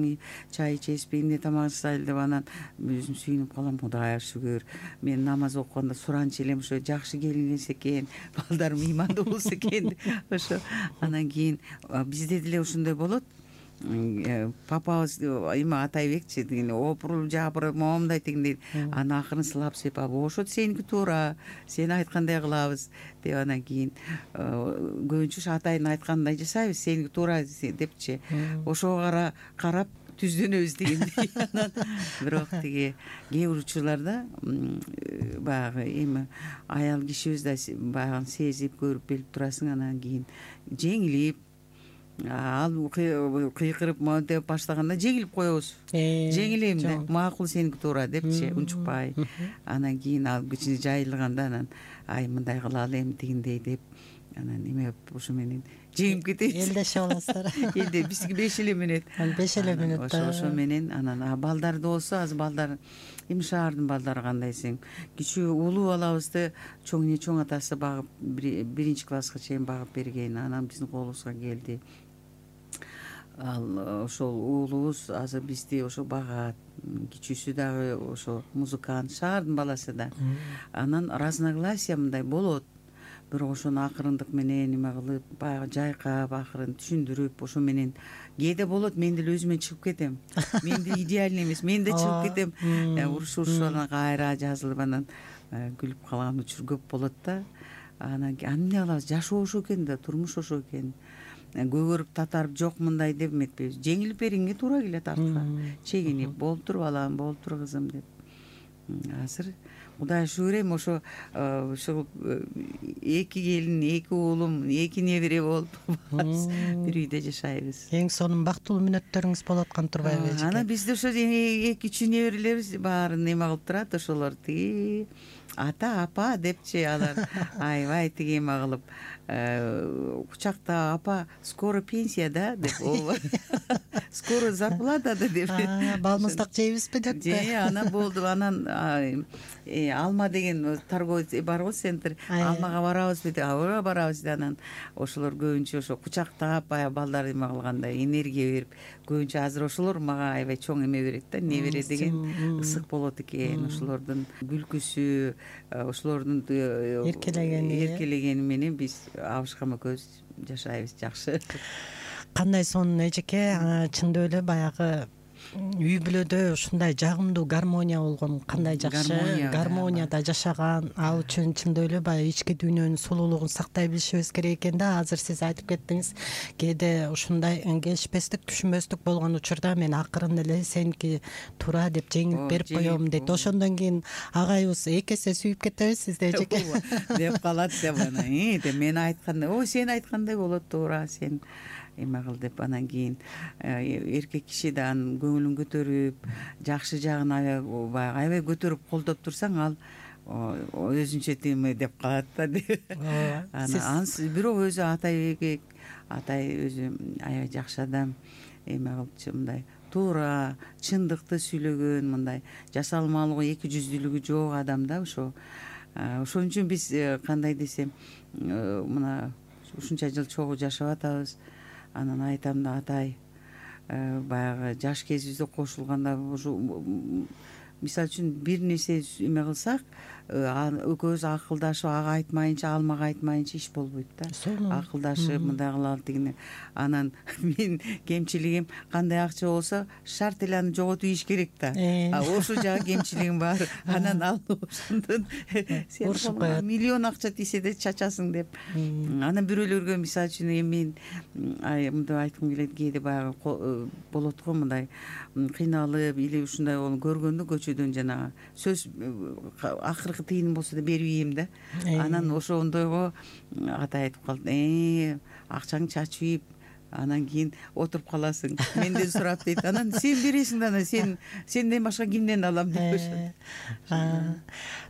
ичесизби, эмне тамак жасайлы деп, анан өзүм сүйүнүп калам. Кудайга шүгүр, мен намаз окуганда суранчу элем, ошо жакшы келин келсе экен, балдарым ыймандуу болсо экен. Ошо анан кийин бизде деле ошондой болот. Папабыз эме Атайбекчи деген опурулуп жабырып момундай тигиндей, анан акырын сылап сыйпап, ошо сеники туура, сен айткандай кылабыз деп, анан кийин көбүнчө Атайдын айтканындай жасайбыз, сеники туура депчи. Ошого карап түздөнөбүз дегендей. Анан бирок тиги кээ бир учурларда баягы эми аял кишибиз да баягы сезип көрүп билип турасың, анан кийин жеңилип ал кыйкырып деп баштаганда жеңилип коебуз. Жеңилейм да, макул сеники туура депчи, унчукпай. Анан кийин ал кичине жайылганда анан мындай кылалы эми тигиндей деп, анан эме ошо менен жеңип кетебиз. Элдеше аласыздар. Элде биздики 5 эле мүнөт. 5 эле мүнөт. Ошо менен анан балдарды болсо, азыр балдар эми шаардын балдары кандай десең, кичүү улуу балабызды чоң атасы багып 1 класска чейин багып берген, анан биздин колубузга келди. Ал ошол уулубуз азыр бизди ошо багат. Кичүүсү дагы ошо музыкант, шаардын баласы да. Анан разногласия мындай болот. Бирок ошону акырындык менен эме кылып, баягы жайкап, акырын түшүндүрүп, ошо менен кээде болот, мен деле өзүмөн чыгып кетем. Мен деле идеальный эмес, мен да чыгып кетем. Урушуп анан кайра жазылып, анан күлүп калган учур көп болот да. Анан эмне кылабыз, жашоо ошо экен да, турмуш ошо экен. Көгөрүп татарып жок мындай деп эметпейбиз. Жеңилип бериңе туура келет артка. Чегинип, болуптур балам, болуптур кызым деп. Азыр Кудайга шүгүр, эми ошо 2 келин, 2 уулум, 2 небере болуп бир үйдө жашайбыз. Эң сонун бактылуу мүнөттөрүңүз болуп аткан турбайбы? Анан бизде ошо 2-3 неберелерибиз баарын эме кылып турат, ошолор тиги ата, апа депчи, алар аябай тиги эме кылып кучакта, апа, скоро пенсия да деп, скоро зарплата да деп. Балмыздак жейбизби деп. Анан болду, анан алма деген торговец барбы, центр, алмага барабызбы деп, ооба барабыз деп, анан ошолор көбүнчө ошо кучактап, баягы балдар эме кылгандай энергия берип, көбүнчө азыр ошолор мага аябай чоң эме берет да, небере деген ысык болот экен. Ошолордун күлкүсү, ошолордун эркелегени менен биз абышкам экөөбүз жашайбыз жакшы. Кандай сонун эжеке, чындап эле баягы үй бүлөдө ушундай жагымдуу гармония болгон кандай жакшы. Гармонияда жашаган, ал үчүн чындап эле баягы ички дүйнөнүн сулуулугун сактай билишибиз керек экен да. Азыр сиз айтып кеттиңиз, кээде ушундай келишпестик, түшүнбөстүк болгон учурда мен акырын эле сеники туура деп жеңип берип коем дейт. Ошондон кийин агайыбыз эки эсе сүйүп кетебиз сизди эжеке деп калат деп, анан мен айткандай, ой сен айткандай болот, туура сен эме кыл деп. Анан кийин эркек киши да анын көңүлүн көтөрүп, жакшы жагын аябай көтөрүп колдоп турсаң, ал өзүнчө эме деп калат да. Анан бирок өзү Атай өзү аябай жакшы адам, эме кылчу, мындай туура, чындыкты сүйлөгөн, мындай жасалмалыгы, эки жүздүүлүгү жок адам да. Ошон үчүн биз кандай десем, мына ушунча жыл чогуу жашап атабыз. анан айтам да атай баягы жаш кезибизде кошулганда ушу мисалы үчүн бир нерсе эме кылсак экөөбүз акылдашып ага айтмайынча ал мага айтмайынча иш болбойт да. Акылдашып мындай кылалы тигине. Анан менин кемчилигим кандай акча болсо шарт эле аны жоготуп ийиш керек да. Ошол жагы кемчилигим бар. Анан ал ошондон сен миллион акча тийсе да чачасың деп. Анан бирөөлөргө мисалы үчүн эми мен мындай айткым келет, кээде баягы болот го мындай кыйналып или ушундай көргөндө көчөдөн жанагы сөз акыркы тыйыным болсо да берип ийем да. Анан ошондойго атай айтып калды, акчаңды чачып ийип анан кийин отуруп каласың, менден сурап дейт. Анан сен бересиң да, анан сенден башка кимден алам деп.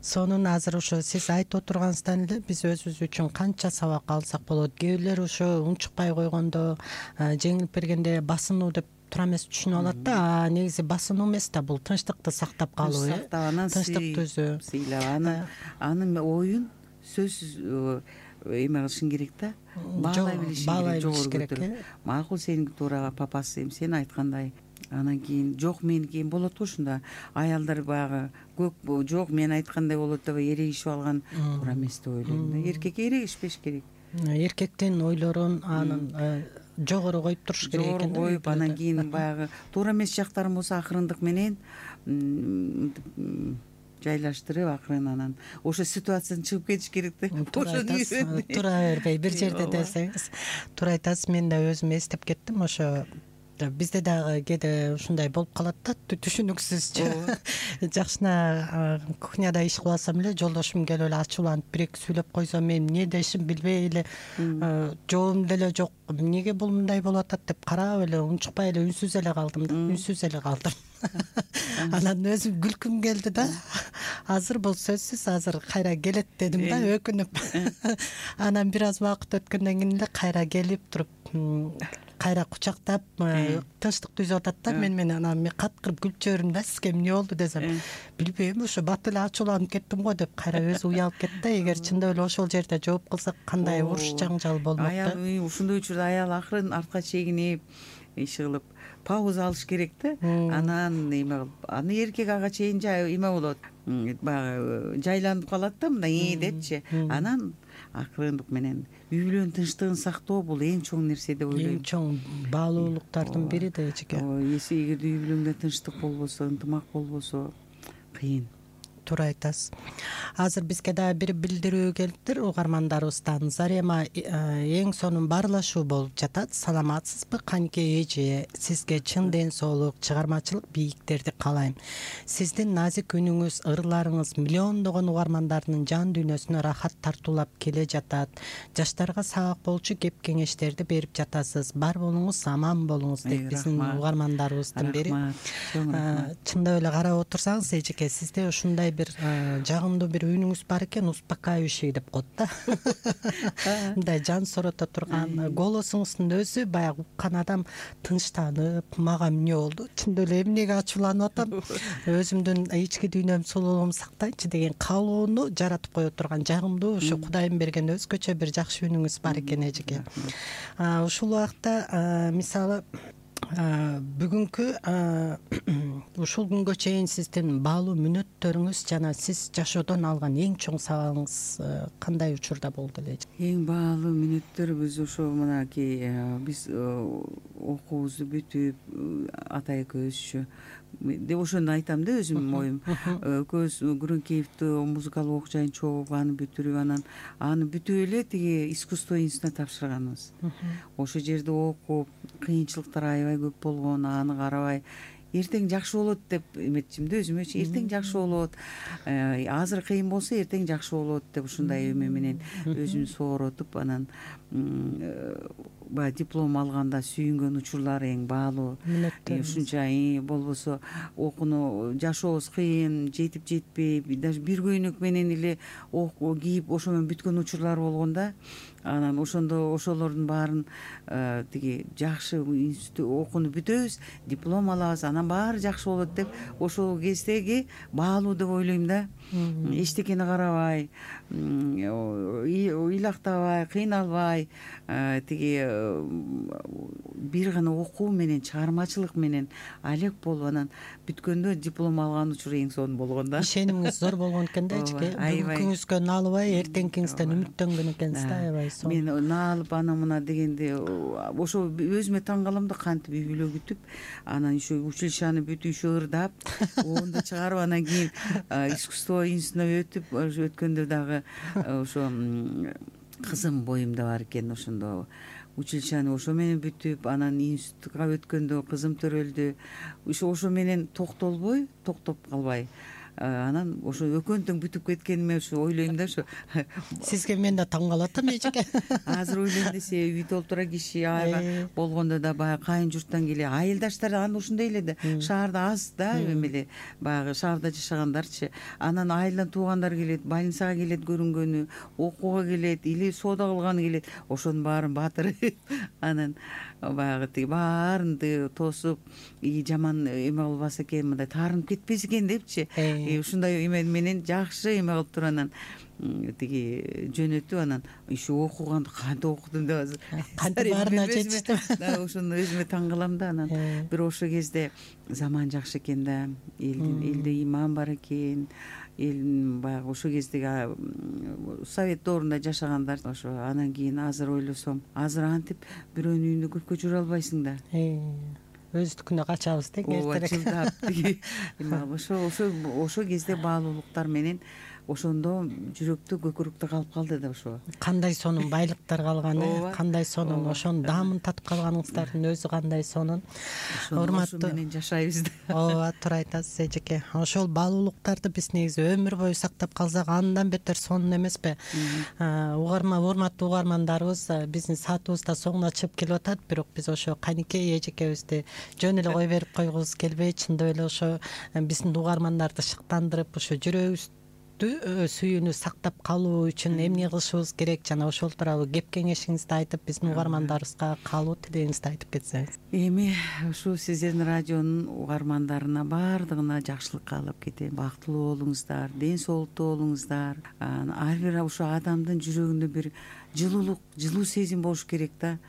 Сонун азыр ошо сиз айтып отурганыңыздан эле биз өзүбүз үчүн канча сабак алсак болот. Кээ бирлер ошо унчукпай койгондо, жеңилип бергенде басынуу деп туура эмес түшүнүп алат да. Негизи басынуу эмес да, бул тынчтыкты сактап калуу, анан тынчтык түзүү. Сыйлап анын оюн сөзсүз эме кылышың керек да. Баалай билишиң керек. Макул, сеники туура папасы, сен айткандай. Анан кийин жок меники болот го ушунда. Аялдар баягы көп жок мен айткандай болот деп эрегишип алган туура эмес деп ойлойм да. Эркекке эрегишпеш керек. Эркектин ойлорун анын жогору коюп туруш керек экен. Жогору коюп, анан кийин баягы туура эмес жактарым болсо акырындык менен жайлаштырып акырын анан ошо ситуациядан чыгып кетиш керек да. Тура бербей бир жерде десеңиз. Туура айтасыз. Мен да өзүм эстеп кеттим. Ошо бизде дагы кээде ушундай болуп калат да, түшүнүксүзчү. Жакшына кухняда иш кылып алсам эле жолдошум келип эле ачууланып бир-эки сүйлөп койсо, мен эмне дешим билбей эле жообум деле жок. Эмнеге бул мындай болуп атат деп карап эле унчукпай эле үнсүз эле калдым. Анан өзүм күлкүм келди да. Азыр бул сөзсүз азыр кайра келет дедим да, өкүнүп. Анан бир аз убакыт өткөндөн кийин эле кайра келип туруп, кайра кучактап тынчтык түзүп атат да мен менен. Анан мен каткырып күлүп жибердим да, сизге эмне болду десем, билбейм, ошо бат эле ачууланып кеттим го деп кайра өзү уялып кетти да. Эгер чындап эле ошол жерде жооп кылсак кандай уруш жаңжал болмок да. Аял ушундай учурда аял акырын артка чегинип иш кылып пауза алыш керек да. Анан эме кылып, аны эркек ага чейин эме болот, баягы жайланып калат да, мындай депчи. Анан акырындык менен үй бүлөнүн тынчтыгын сактоо бул эң чоң нерсе деп ойлойм. Эң чоң баалуулуктардын бири да эжеке. Эгерде үй бүлөңдө тынчтык болбосо, ынтымак болбосо кыйын. Туура айтасыз. Азыр бизге дагы бир билдирүү келиптир угармандарыбыздан. Зарема эң сонун баарлашуу болуп жатат. Саламатсызбы канке эже? Сизге чын ден соолук, чыгармачылык бийиктерди каалайм. Сиздин назик үнүңүз, ырларыңыз миллиондогон угармандардын жан дүйнөсүнө рахат тартуулап келе жатат. Жаштарга сабак болчу кеп кеңештерди берип жатасыз. Бар болуңуз, аман болуңуз деп биздин угармандарыбыздын бири. Чындап эле карап отурсаңыз эжеке, сизде ушундай бир жагымдуу бир үнүңүз бар экен, успокаивающий деп коет да. Мындай жан сорото турган голосуңуздун өзү баягы уккан адам тынчтанып, мага эмне болду, чындап эле эмнеге ачууланып атам, өзүмдүн ички дүйнөм, сулуулугумду сактайынчы деген каалоону жаратып кое турган жагымдуу ушу Кудайым берген өзгөчө бир жакшы үнүңүз бар экен эжеке. Ушул убакта мисалы бүгүнкү ушул күнгө чейин сиздин баалуу мүнөттөрүңүз жана сиз жашоодон алган эң чоң сабагыңыз кандай учурда болду эле? Эң баалуу мүнөттөр ошо мынакей биз окуубузду бүтүп ата экөөбүзчү деп ошону айтам да, өзүмдүн оюм. Экөөбүз Күрөңкеевди музыкалык окуу жайын чогуп, аны бүтүрүп, анан аны бүтүп эле тиги искусство институтуна тапшырганбыз. Ошол жерде окуп, кыйынчылыктар аябай көп болгон, аны карабай эртең жакшы болот деп эметчим да өзүмөчү. Эртең жакшы болот, азыр кыйын болсо эртең жакшы болот деп ушундай эме менен өзүмдү сооротуп, анан баягы диплом алганда сүйүнгөн учурлар эң баалуу. Ушунча болбосо окууну жашообуз кыйын, жетип жетпей, даже бир көйнөк менен эле кийип ошо менен бүткөн учурлар болгон да. Анан ошондо ошолордун баарын тиги жакшы окууну бүтөбүз, диплом алабыз, анан баары жакшы болот деп ошол кездеги баалуу деп ойлойм да. эчтекени карабай, ыйлактабай, кыйналбай, тиги бир гана окуу менен, чыгармачылык менен алек болуп анан бүткөндө диплом алган учуру эң сонун болгон да. Ишенимиңиз зор болгон экен да, эчке. Бүгүнкүңүзгө наалыбай, эртеңкиңизден үмүттөнгөн экенсиз да, аябай сонун. Мен наалып ана мына дегенде ошо өзүмө таң калам да, кантип үй бүлө күтүп, анан еще училищаны бүтүп, еще ырдап, оонду чыгарып, анан кийин искусство институтуна өткөндө дагы ошо кызым боюмда бар экен, ошондо училищаны ошо менен бүтүп, анан институтка өткөндө кызым төрөлдү. Ошо менен токтоп калбай, анан ошо өкөнтөң бүтүп кеткениме ошо ойлойм да. Ошо Сизге мен да таң калып атам эчке. азыр ойлойм десе, үй толтура киши айга болгондо да баягы кайын журттан айылдаштар анда ушундай эле да, шаарда аз да, эмеле баягы шаарда жашагандарчы. Анан айылдан туугандар келет, больницага келет көрүнгөнү, окууга келет или соода кылганы келет, ошонун баарын батырып анан баягы тиги баарын тосуп, жаман эме кылбаса экен, мындай таарынып кетпесе экен депчи, ушундай эме менен жакшы эме кылып туруп анан тиги жөнөтүп, анан еще окуганды кантип окудум деп азыр кантип баарына жетиштим. Ошону өзүмө таң калам да. Анан бир ошо кезде заман жакшы экен да, элде иман бар экен, эл баягы ошо кездеги совет доорунда жашагандар. Ошо анан кийин азыр ойлосом, азыр антип бирөөнүн үйүндө көпкө жүрө албайсың да. Өздүкүнө качабыз да эртерээк. Ошо кезде баалуулуктар менен ошондо жүрөктө, көкүрөктө калып калды да. Ошо Кандай сонун байлыктар калган, кандай сонун ошонун даамын татып калганыңыздардын өзү кандай сонун. Урматтуу менен жашайбыз да. Ооба, туура айтасыз эжеке. Ошол баалуулуктарды биз негизи өмүр бою сактап калсак андан бетер сонун эмеспи? Урматтуу угармандарыбыз, биздин саатыбыз да соңуна чыгып келип атат, бирок биз ошо каникей эжекебизди жөн эле кой берип койгубуз келбей, чындап эле ошо биздин угармандарды шыктандырып, ошо жүрөгүбүздү сүйүүнү сактап калуу үчүн эмне кылышыбыз керек, жана ошол тууралуу кеп кеңешиңизди айтып, биздин угармандарыбызга каалоо тилегиңизди айтып кетсеңиз. Эми ушул сиздердин радионун угармандарына баардыгына жакшылык каалап кетем. Бактылуу болуңуздар, ден соолуктуу болуңуздар. Ар бир ошо адамдын жүрөгүндө бир жылуу сезим болуш керек да.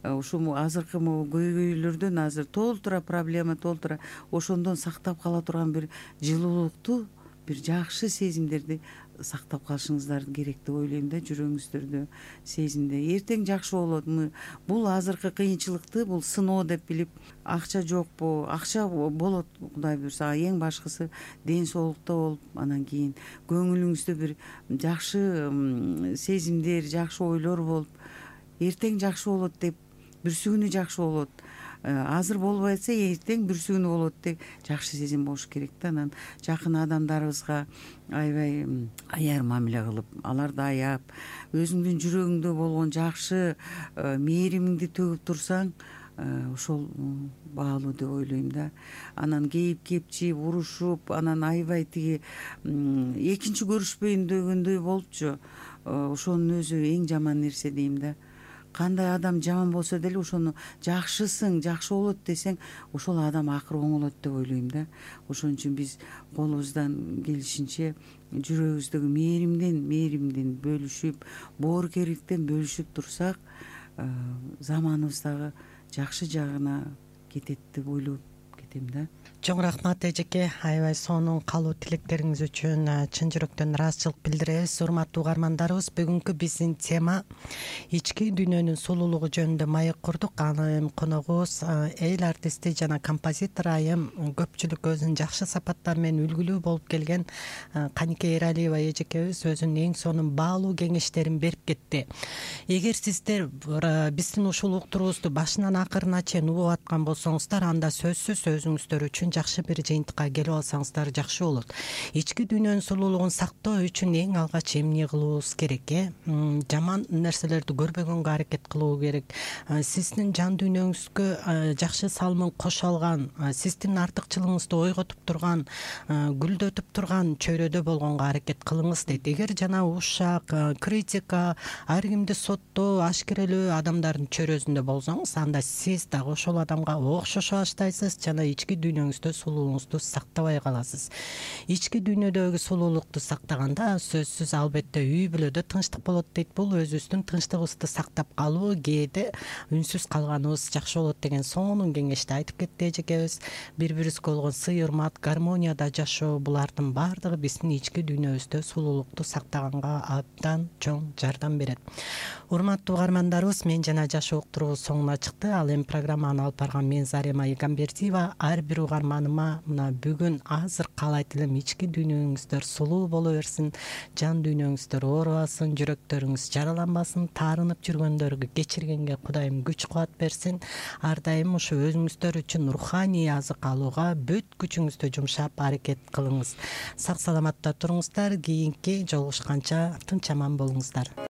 Ушул азыркы көйгөйлөрдөн азыр толтура проблема, толтура ошондон сактап кала турган бир жылуулукту, бир жакшы сезимдерди сактап калышыңыздар керек деп ойлойм да, жүрөгүңүздөрдө, сезимде. Эртең жакшы болот. Бул азыркы кыйынчылыкты бул сыноо деп билип, акча жокпу, акча болот Кудай буйрса, эң башкысы ден соолукта болуп, анан кийин көңүлүңүздө бир жакшы сезимдер, жакшы ойлор болуп, эртең жакшы болот деп, бүрсүгүнү жакшы болот. Азыр болбой атса, эртең бүрсүгүнү болот деп жакшы сезим болуш керек да. Анан жакын адамдарыбызга аябай аяр мамиле кылып, аларды аяп, өзүңдүн жүрөгүңдө болгон жакшы мээримиңди төгүп турсаң, ошол баалуу деп ойлойм да. Анан кейип кепчип, урушуп, анан аябай тиги экинчи көрүшпөйүн дегөндөй болупчу, ошонун өзү эң жаман нерсе дейм да. Кандай адам жаман болсо деле ошону жакшысың, жакшы болот десең, ошол адам акыры оңолот деп ойлойм да. Ошон үчүн биз колубуздан келишинче жүрөгүбүздөгү мээримден бөлүшүп, боорукерликтен бөлүшүп турсак, заманыбыз дагы жакшы жагына кетет деп ойлоп кетем да. Чоң рахмат эжеке, аябай сонун каалоо тилектериңиз үчүн чын жүрөктөн ыраазычылык билдиребиз. Урматтуу угармандарыбыз, бүгүнкү биздин тема ички дүйнөнүн сулуулугу жөнүндө маек курдук. Анын коногубуз эл артисти жана композитор айым, көпчүлүк өзүнүн жакшы сапаттары менен үлгүлүү болуп келген Каникей Эралиева эжекебиз өзүнүн эң сонун баалуу кеңештерин берип кетти. Эгер сиздер биздин ушул уктуруубузду башынан акырына чейин угуп аткан болсоңуздар, анда сөзсүз өзүңүздөр үчүн жакшы бир жыйынтыкка келип алсаңыздар жакшы болот. Ички дүйнөнүн сулуулугун сактоо үчүн эң алгач эмне кылуубуз керек? Жаман нерселерди көрбөгөнгө аракет кылуу керек. Сиздин жан дүйнөңүзгө жакшы салымын кошо алган, сиздин артыкчылыгыңызды ойготуп турган, гүлдөтүп турган чөйрөдө болгонго аракет кылыңыз дейт. Эгер жана ушак, критика, ар кимди соттоо, ашкерелөө адамдардын чөйрөсүндө болсоңуз, анда сиз дагы ошол адамга окшошо баштайсыз жана ички дүйнөңүздө сулуулугуңузду сактабай каласыз. Ички дүйнөдөгү сулуулукту сактаганда сөзсүз албетте үй бүлөдө тынчтык болот дейт. Бул өзүбүздүн тынчтыгыбызды сактап калуу, кээде үнсүз калганыбыз жакшы болот деген сонун кеңешти айтып кетти эжекебиз. Бири-бирибизге болгон сый урмат, гармонияда жашоо, булардын баардыгы биздин ички дүйнөбүздө сулуулукту сактаганга абдан чоң жардам берет. Урматтуу угармандарыбыз, мен жана жашоо уктуруубуз соңуна чыкты. Ал эми программаны алып барган мен Зарема Игамбердиева. Ар бир угарманыма мына бүгүн азыр каалайт элем ички дүйнөңүздөр сулуу боло берсин, жан дүйнөңүздөр оорубасын, жүрөктөрүңүз жараланбасын, таарынып жүргөндөргө кечиргенге Кудайым күч кубат берсин. Ар дайым ушу өзүңүздөр үчүн руханий азык алууга бүт күчүңүздү жумшап аракет кылыңыз. Сак саламатта туруңуздар. Кийинки жолугушканча тынч аман болуңуздар.